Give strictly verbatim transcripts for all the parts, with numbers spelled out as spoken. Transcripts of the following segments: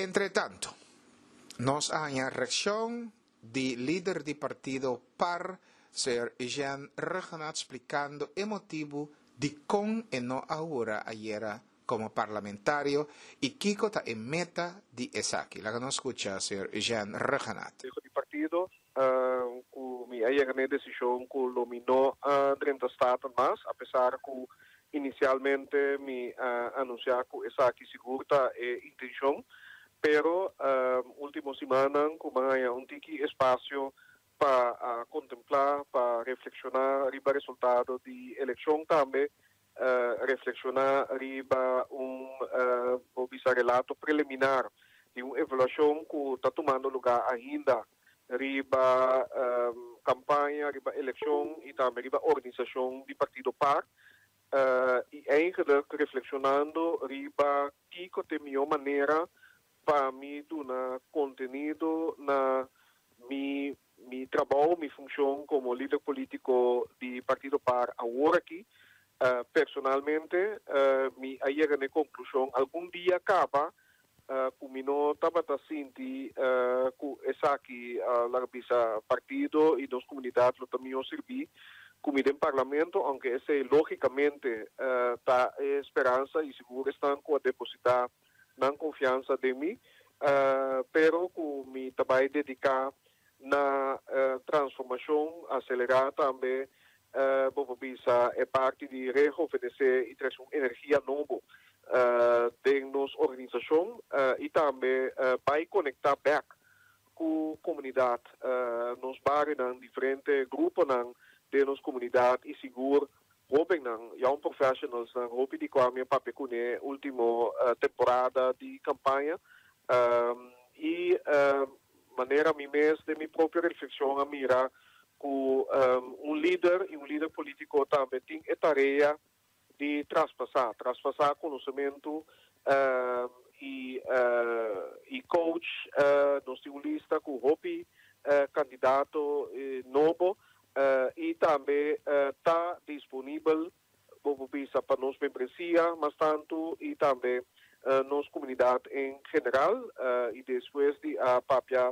Entre tanto, nos a haña reakshon di lider di partido par, señor Eugene Rhuggenaath, splikando e motibu dikon e no a hura ayera komo parlamentario i kiko ta e meta di esaki. Laga nos skucha señor Eugene Rhuggenaath. Di partido, uh, ku mi a yega na desishon ku lo mi no a drenta Staten mas, apesar ku inisialmente mi a anunsiá ku esaki sigur ta e intenshon, pero uh, último siman ku m'a haña un tiki espasio pa uh, kontemplá, pa reflekshoná riba resultado di elekshon tambe, uh, reflekshoná riba un uh, relato preliminar di un evaluashon ku ta tumando lugá ainda riba um, kampaña, riba elekshon i tambe riba organisashon di partido par. Uh, i eigenlijk reflekshonando riba kiko ta e mihó manera pa mi duna kontenido na mi mi trabou, mi funshon komo lider polítiko di partido par awor aki. Uh, personalmente, uh, mi a yega na konklushon algun dia kaba uh, ku mi no tabata sinti uh, ku esaki uh, laga bisa partido i nos komunidat lo ta mihó sirbí ku mi den parlamento, aunke esei lógikamente uh, ta speransa i sigur esnan ku a depositá nan konfiansa den mi, uh, pero ku mi ta bai dediká na uh, transformashon, aselerá tambe, uh, bo bisa, e parti di rehuvenesé i trese un energia nobo uh, den nos organisashon uh, i tambe uh, bai konektá bèk ku komunidat, uh, nos barionan, diferente gruponan den nos komunidat i sigur hóbennan, young professionals nan, hopi di kua mi a papia kuné último uh, temporada di kampaña um, i uh, manera mi mes di mi propio reflekshon a mira ku um, un lider i un lider polítiko tambe tin e tarea di traspasá, traspasá konosementu uh, i, uh, i coach uh, nos tin un lista ku hopi uh, kandidato uh, nobo uh, i tambe ta uh, disponibel bisa pa nos membresia mas tantu i tambe uh, nos komunidat en general uh, i despues di a papia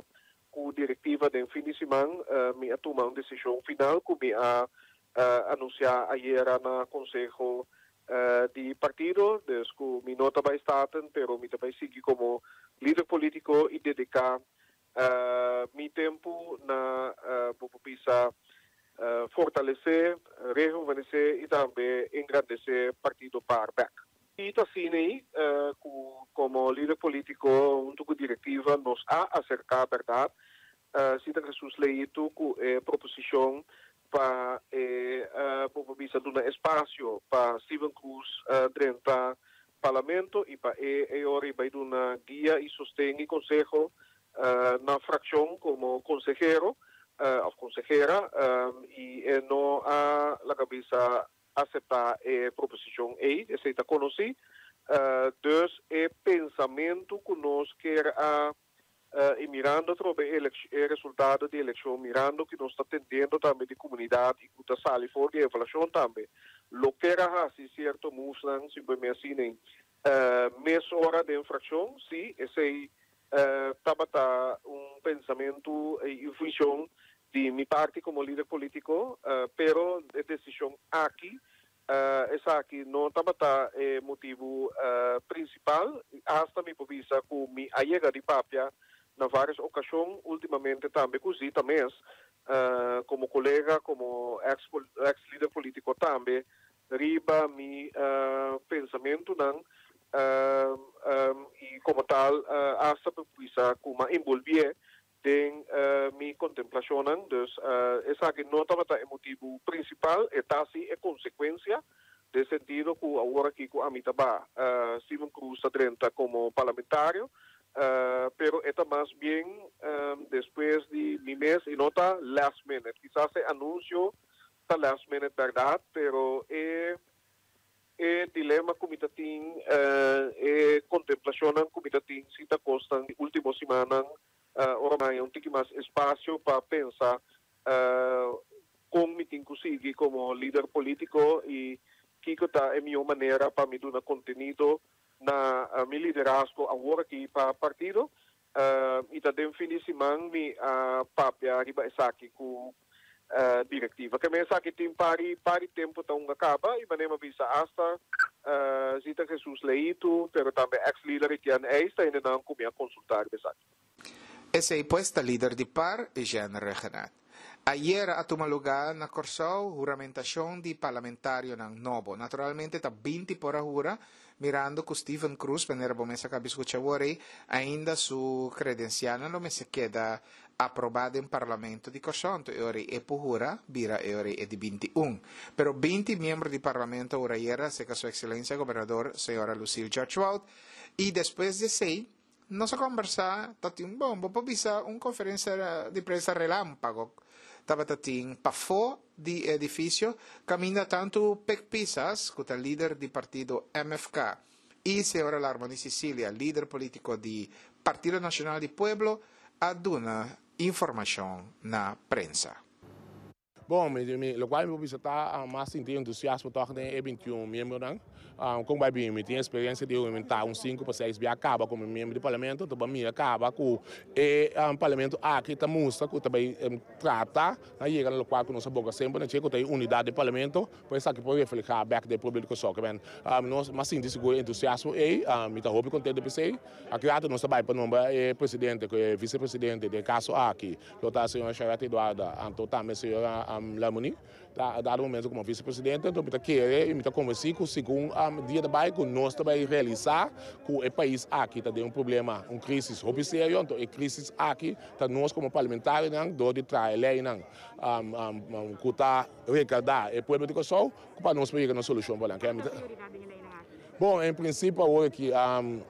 ku direktiva den fin di siman, uh, mi a tuma un desishon final ku mi a uh, anunsiá ayera na konseho uh, di partido, dus ku mi no ta bai Staten, pero mi ta bai sigui komo lider polítiko i dediká uh, mi tempu na uh, bisa uh, fortalesé, rehuvenesé i tambe engrandesé partido par bèk. I asina, uh, komo lider polítiko, huntu ku direktiva, nos a aserká, berdat, uh, Zita Jesus Leito ku eh, proposishon pa eh, uh, bisa duna espasio pa Steven Cruz uh, drenta parlamento i pa e e ora bai duna guia i sosten i konseho uh, na frakshon komo konsehero uh, òf konsehera um, i eh, no a laga bisa aseptá e proposishon ei, esei ta konosí. Uh, dus e pensamentu ku nos ke a uh, i mirando trobe e resultado di elekshon, mirando ku nos ta atendiendo tambe di komunidat i ku ta sali for di evaluashon tambe, lo ke a hasi sierto moves simplemente asina, uh, mesora den frakshon, sí, esei uh, tabata un pensamentu i funshon di mi parti komo lider polítiko, uh, pero e desishon aki, uh, esaki no tabata e motibu uh, prinsipal, hasta mi por bisa ku mi a yega di papia na vários okashon, últimamente tambe ku Zita mes, uh, komo kolega, komo ex, ex-lider polítiko tambe, riba mi uh, pensamentunan uh, um, i komo tal uh, hasta bisa ku m'a envolví den uh, mi kontemplashon. Dus uh, esaki no tabata e motibu prinsipal, e ta sí e konsekuensia den sentido ku awor aki ku ami ta ba uh, Steven Cruz drenta komo parlamentario, uh, pero e ta mas bien um, despues di mi mes i no ta last minute. Kisas e anunsio ta last minute, berdat, pero e e dilema ku mi tin, uh, e kontemplashon ku mi tin sí ta kos di último siman, uh, ora m'a un tiki mas espasio pa pensa uh, kon mi tin ku sigui komo lider polítiko i kiko ta e mihó manera pa mi duna kontenido. Na uh, mi liderazgo awor aki pa partido uh, i ta den fin di siman mi a uh, papia riba esaki ku uh, direktiva. Ke men esaki tin par di par di tempu ta un kaba i manera bisa hasta uh, Zita Jesus Leito, pero tambe ex-líder Etienne Eista ainda nan ku mi a konsultá esaki. Esei pues ta lider di PAR, Eugène Rhuggenaath. Ayera a tuma lugá na Kòrsou huramentashon di parlamentarionan nobo. Naturalmente ta binti por a hura, mirando ku Steven Cruz, manera bo mes a kaba skucha awor, ainda su kredensial no mester keda aprobá den parlamento di Kòrsou, anto e ora e por hura, bira e ora e di binti un. Pero binti miembro di parlamento a hura ayera, serka su ekselensia gobernador, señora Lucille George-Wout, i despues di esei, nos a kombersá, tatin bon, bo por bisa un konferensia di prensa relámpago, tabata tin pafó di edifisio, kaminda tantu Pik Pisas, ku ta lider di partido M F K, i señora Larmonie Cecilia, lider polítiko di Partido Nashonal di Pueblo, a duna informashon na prensa. Bon, mi, mi, loke mi ta mas sinti entusiasmo toch den e binti un miembronan. Um, kon bai bin, mi tin eksperensia di huramentá un sinku pa seis bia kaba komo miembro di parlamento, anto mi a kaba ku e um, parlamento aki ta mustra ku tambe um, trata na yega na loke ku nos a boga semper na ku tin unidat di parlamento, pues aki por reflehá bèk den públiko so ku ben. Um, nos m'a sinti sigur entusiasmo e um, mi ta hopi kontentu p'esei. Aki rato nos tambe pa nombra e presidente, ku e visepresidente den kaso aki, lo ta señora Charette Eduarda, anto tambe señora um, Lamoni, ta dado momento komo visepresidente, anto mi ta kere i mi ta konvensí ku segun um, dia tambe ku nos tambe realisá ku e pais aki ta den un problema, un krísis hopi serio, anto e krísis aki ta nos komo parlamentarionan dor di traha leinan um, um, um, ku ta rekordá e pueblo di Kòrsou pa nos yega na solushon pa nan. Bon, en prinsipio awor aki um,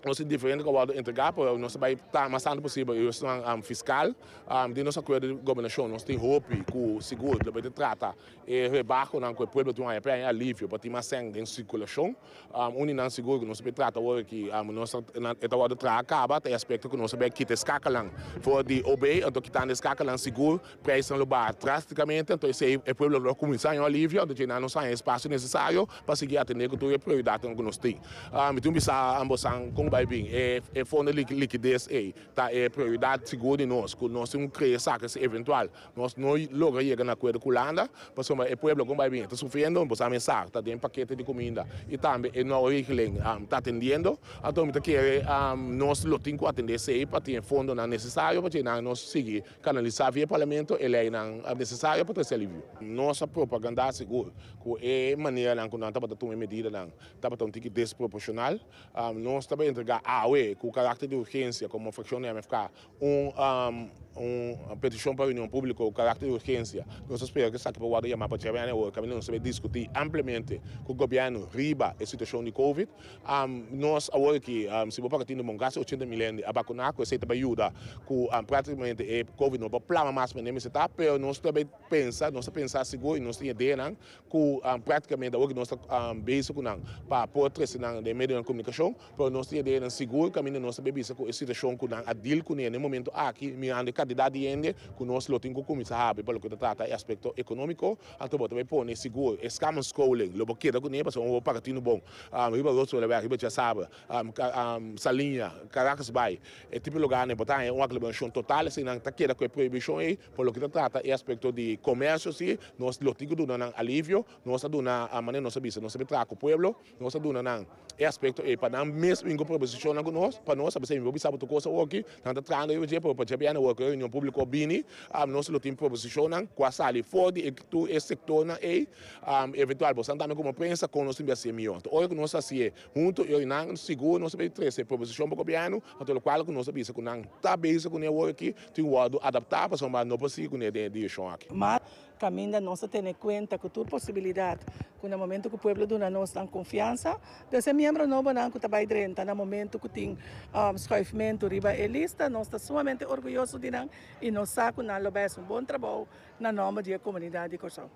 nos ta diferente ku a entregá, pero nos ta bai ta mas tantu posibel, e um, fiskal, um, den nos akuerdo di gobernashon, nos tin hopi ku sigur, lo bai trata e rebaho nan ku e pueblo tin un alivio, pa tin mas sèn den sirkulashon, um, un nan sigur ku nos ta bai trata awor aki, um, nos ta wòrdu traha kaba, e aspekto ku nos ta bai kita schakeling for di O B, anto kitando schakeling sigur, preis lo baha drástikamente, anto esei e pueblo lo kuminsá un alivio, anto nos tin espasio nesesario pa sigui atendé ku tur e prioridat ku nos tin. Um, anto bisa ambos kon bai bin, e, e fondo di likides e ta e prioridat sigur di nos, ku nos tin krea saka eventual, nos no logra yega na akuerdo ku Hulanda, pasobra e pueblo kon bai bin, ta sufriendo, bo sa, ta den pakete di kuminda i tambe e no regeling um, ta atendiendo, anto mi ta kere um, nos lo tin ku atendé esei pa tin fondo nan nesesario pa nos sigui kanalisá via parlamento e leinan nesesario pa trese alivio. Nos propaganda sigur ku e manera nan ku nan tabata tuma medidanan tabata un tiki desproporshonal. Um, nos tambe a entregá awe ku karakter di urgensia komo frakshon di M F K un, um, un petishon pa reunion públiko ku karakter di urgensia. Nos ta spera ku esaki por yama pa djabièrnè, kaminda nos ta bai diskutí ampliamente ku gobièrnu riba e situashon di COVID. Um, nos awor aki, um, si bo pa tin un kasi ochenta mil a vakuná, ku esei tambe yuda ku um, práktikamente e COVID no por plama mas manera ta, pero nos tambe ta pensa, nos ta pensa sigur i nos tin idea ku um, práktikamente awor nos ta um, bezig ku nan pa por trese nan den medio di komunikashon, pero nos tin idea sigur kaminda nos tambe bisa ku e situashon ku nan a deal kuné na momento aki, mirando e kantidat di hende ku nos lo tin ku kuminsá habri pa loke ta trata e aspekto ekonómiko, anto bo tambe pone sigur e samenscholingen, lo bo keda kuné, pasobra bo paga tinu bon. Um, riba Rotsolenweg, riba Djasabra, um, um, Saliña, Caracasbaai, e tipo lugá nan, bo ta un aglomerashon total, asina ta keda ku e prohibishon ei, pa loke ta trata e aspekto di komersio, si, nos lo tin ku duna nan alivio, nos a duna a manera nos a bisa, nos a traha ku pueblo, nos a duna nan e aspekto e pa nan mes bin ku proposishon ku nos, pa nos, a bisa, bisa bo kos aki, nan ta trahando e pa pa djabièrnè e reunion públiko bini, um, nos lo tin proposishon ku a sali for di tur e sektornan ei, um, eventual, bo tambe komo prensa, kon nos tin hasi mihó. Anto, ora ku nos hasi huntu, i nan sigur nos ta trese proposishon pa gobièrnu, anto loke ku nos a bisa ku nan ta bezig ku e awor aki, tin ku adaptá pa no por sigui ku e direkshon aki. Mas kaminda nos ta tene kuenta ku tur posibilidat, ku na momento ku e pueblo duna nos nan konfiansa, e miembro nobo nan ku tambe drenta, na momento ku tin um, schuifmento riba e lista, nos ta sumamente orguyoso di nan i nos sa ku nan lo bai un bon trabou na nòmber di komunidat di Kòrsou.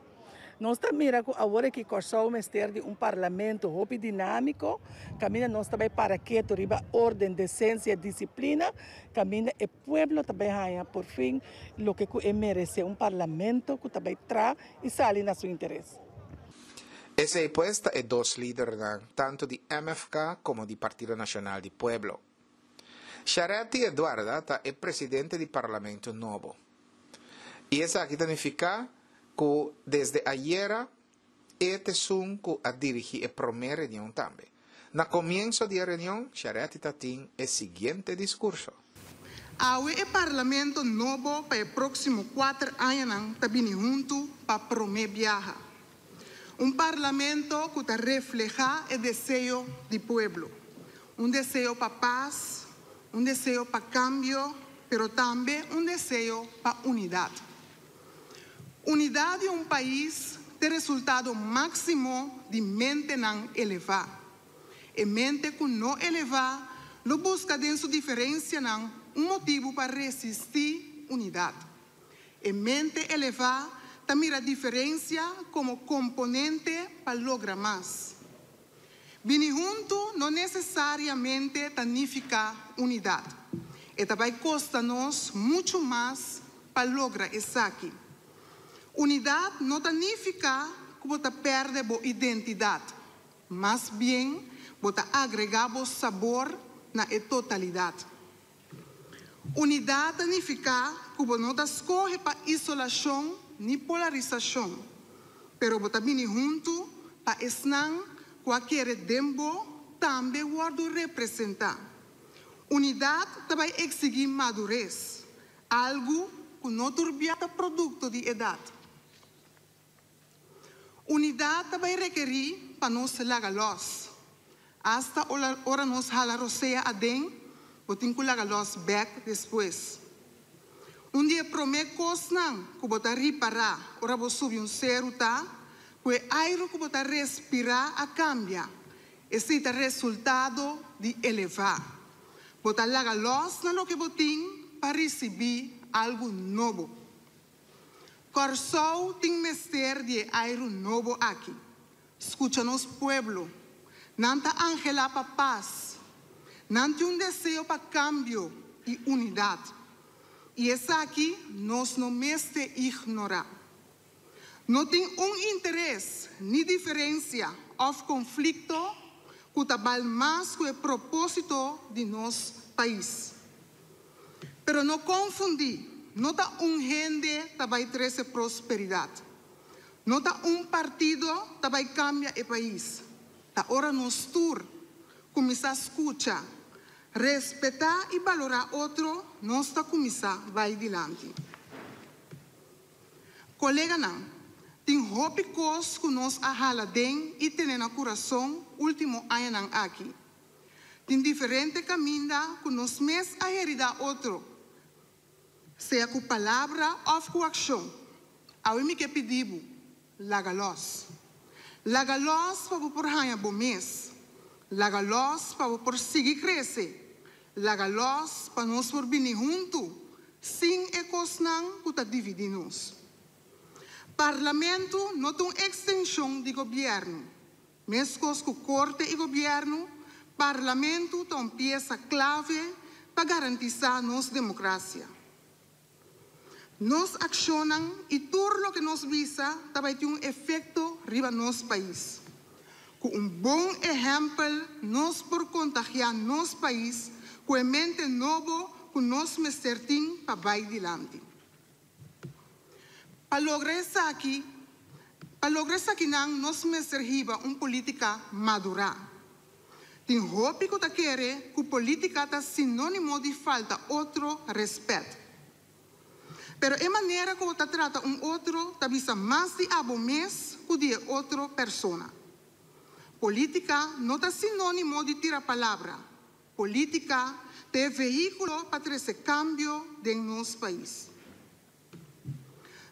Nos ta mira ku awor ku Kòrsou mester di un parlamento hopi dinámiko, kaminda nos tambe para ketu riba órden, desensia, disiplina, kaminda e pueblo tambe haña por fin loke e meresé, un parlamento ku tambe traha i sali na su interes. Esei pues ta e dos lidernan tantu di M F K komo di Partido Nashonal di Pueblo. Charetti Eduarda ta e presidente di parlamento nobo. I esaki ta nifiká ku desde ayera e ta esun ku a dirigí e promé reunion tambe. Na komienso di e reunion, Charetti tabatin e siguiente diskurso. Awe e parlamento nobo pa e próksimo kuater añanan ta bini huntu pa promé biaha. Un parlamento ku ta reflehá e deseo di pueblo. Un deseo pa pas, un deseo pa kambio, pero tambe un deseo pa unidat. Unidat di un pais ta resultado máksimo di mentenan elevá. E mente ku no elevá, lo buska den su diferensianan un motibu pa resistí unidat. E mente elevá ta mira diferensia komo komponente pa logra mas. Bini huntu no nesesariamente ta nifiká unidat. E ta bai kosta nos muchu mas pa logra esaki. Unidat no ta nifiká ku bo ta pèrdè bo identidat. Mas bien, bo ta agregá bo sabor na e totalidat. Unidat ta nifiká ku bo no ta skohe pa isolashon ni polarisashon, pero bo ta bini huntu pa esnan ku a kere den bo tambe wòrdu representá. Unidat ta bai eksigí madures, algu ku no tur bia ta produkto di edat. Unidat ta bai rekerí pa nos laga los. Asta ora nos hala rosea aden, bo tin ku laga los bèk despues. Un di e promé kosnan ku bo ta ripará ora bo subi un seru ta, ku e airu ku bo ta respirá a kambia. Esei ta resultado di elevá. Bo ta laga los na loke bo tin pa risibí algu nobo. Kòrsou tin mester di airu nobo aki. Skucha nos pueblo. Nan ta anhelá pa pas. Nan tin un deseo pa kambio i unidat. I esaki nos no mester ignorá. No tin un interes ni diferensia òf konflikto ku ta bal mas ku e propósito di nos pais. Pero no konfundí, no ta un hende ta bai trese prosperidat. No ta un partido ta bai kambia e pais. Ta ora nos tur kuminsá skucha, respetá i balorá otro, nos ta kuminsá bai dilanti. Koleganan, tin hopi kos ku nos a hala den i tene na kurason último añanan aki. Tin diferente kaminda ku nos mes a heridá otro, sea ku palabra òf ku akshon. Awe mi ke pidi bo, laga los. Laga los pa bo por haña bo mes. Laga los pa bo por sigui krese. Laga los pa nos por bini huntu, sin e kosnan ku ta dividí nos. Parlamento no ta un ekstenshon di gobièrnu. Meskos ku korte i gobièrnu, parlamento ta un piesa klave pa garantisá nos demokrasia. Nos akshonnan i tur loke nos bisa tambe tin un efekto riba nos pais. Ku un bon ehèmpel, nos por kontagiá nos pais ku e mente nobo ku nos mester tin pa bai dilanti. Pa logra esaki, pa logra esakinan nos mester hiba un polítika madurá. Tin hopi ku ta kere ku polítika ta sinónimo di falta otro rèspèt. Pero e manera ku bo ta trata un otro, ta bisa mas di abo mes ku di otro persona. Polítika no ta sinónimo di tira palabra. Polítika ta vehíkulo pa trese kambio den nos pais.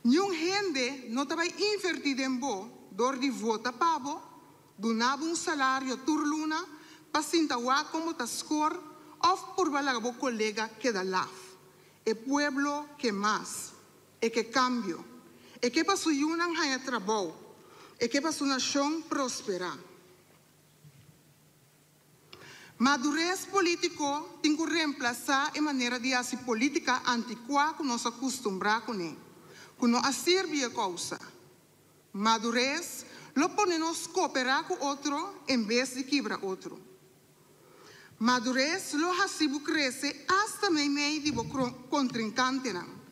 Ningun hende no ta bai invertí den bo, dor di vota pa bo, duna bo un salario tur luna, pa sinta wak kon bo ta score, òf purba laga bo kolega keda laf. E pueblo ke mas, e ke kambio, e ke pa su yunan haña trabou, e ke pa su nashon prosperá. Madures polítiko tin ku remplasá e manera di hasi polítika antikuá ku nos a kustumbrá kuné, ku no a sirbi e kousa. Madures Lo pone nos kooperá ku otro en bes di kibra otro. Madures lo hasi bo krese asta meimei di bo kontrinkantenan.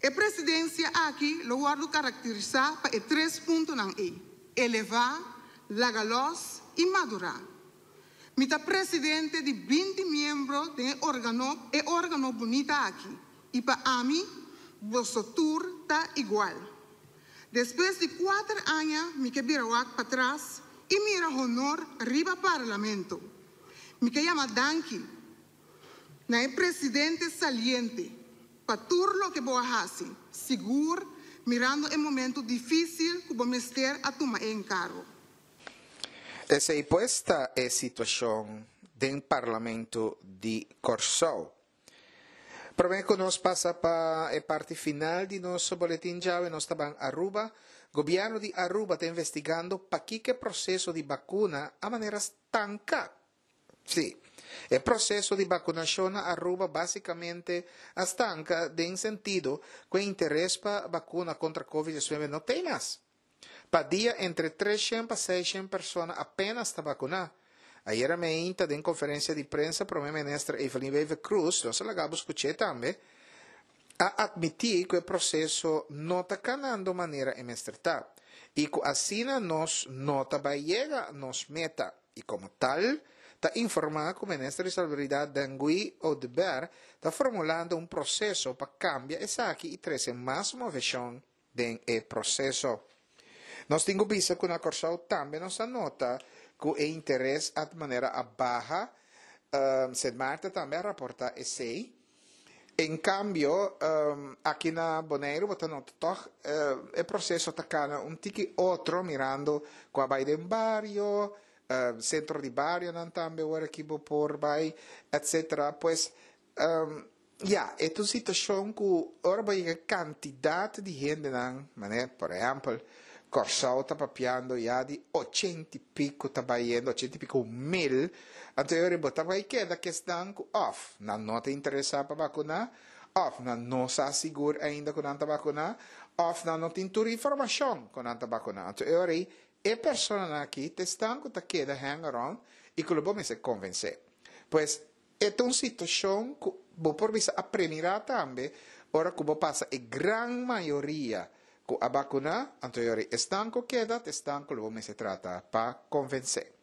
E presidensia aki lo wòrdu karakterisá pa e tres puntonan ei, elevá, laga lòs i madurá. Mi ta presidente di binti miembro den e organo e organo bunita aki i pa ami boso tur ta igual. Despues di kuater aña mi ke bira wak patras i mira honor riba Parlamento. Mi ke yama danki na e presidente saliente pa tur loke bo a hasi, sigur mirando e momento difísil ku bo mester a tuma e enkargo. Esei pues ta e situashon den Parlamento di Kòrsou. Promé ku nos pasa pa e parti final di nos boletin djawe, nos ta ban Aruba. Gobièrnu di Aruba ta investigando pakiko e proseso di bakuna a manera stanka. Sí, e proseso di bakunashon na Aruba básikamente a stanka den sentido ku e interes pa bakuna kontra Covid diesnuebe no t'ei mas. Pa dia entre tres shen pa seis shen persona apenas ta bakuná. Ayera meinta den konferensia di prensa Prome Minister Evelyn Wever-Croes, nos a laga bo skuch'é tambe, a atmití ku e proseso no ta kanando manera e mester ta i ku asina nos no ta bai yega nos meta i komo tal ta informá ku Minister di Salubridat Dangui Oduber ta formulando un proseso pa kambia esaki i trese mas moveshon den e proseso. Nos tin ku bisa ku na Kòrsou tambe nos a nota ku e interes at manera a baha, Sint Maarten tambe a raportá esei. En kambio, aki na Boneiru bo ta nota tòg e proseso ta kana un tiki otro mirando ku a bai den bario, sentro di barionan tambe ora ki bo por bai, etcetera. Pues Ya, e ta un situashon ku ora bo yega e kantidat di hendenan, manera por ehèmpel Kòrsou ta papiando ya di ochenta i piku ta bai yendo, ochenta i piku mil, anto e ora bo ta bai keda ku esnan ku òf nan no ta interesá pa bakuná, òf nan no sa sigur ainda ku nan ta bakuná, òf nan no tin tur informashon ku nan ta bakuná. Anto e ora ei e personanan aki ta esnan ku ta keda hang around i ku lo bo mester konvensé. Pues E ta un situashon ku bo por bisa a premirá tambe ora ku bo pasa e gran mayoria ku a bakuná, anto yori esnan ku keda ta esnan ku lo bo mester trata pa konvensé.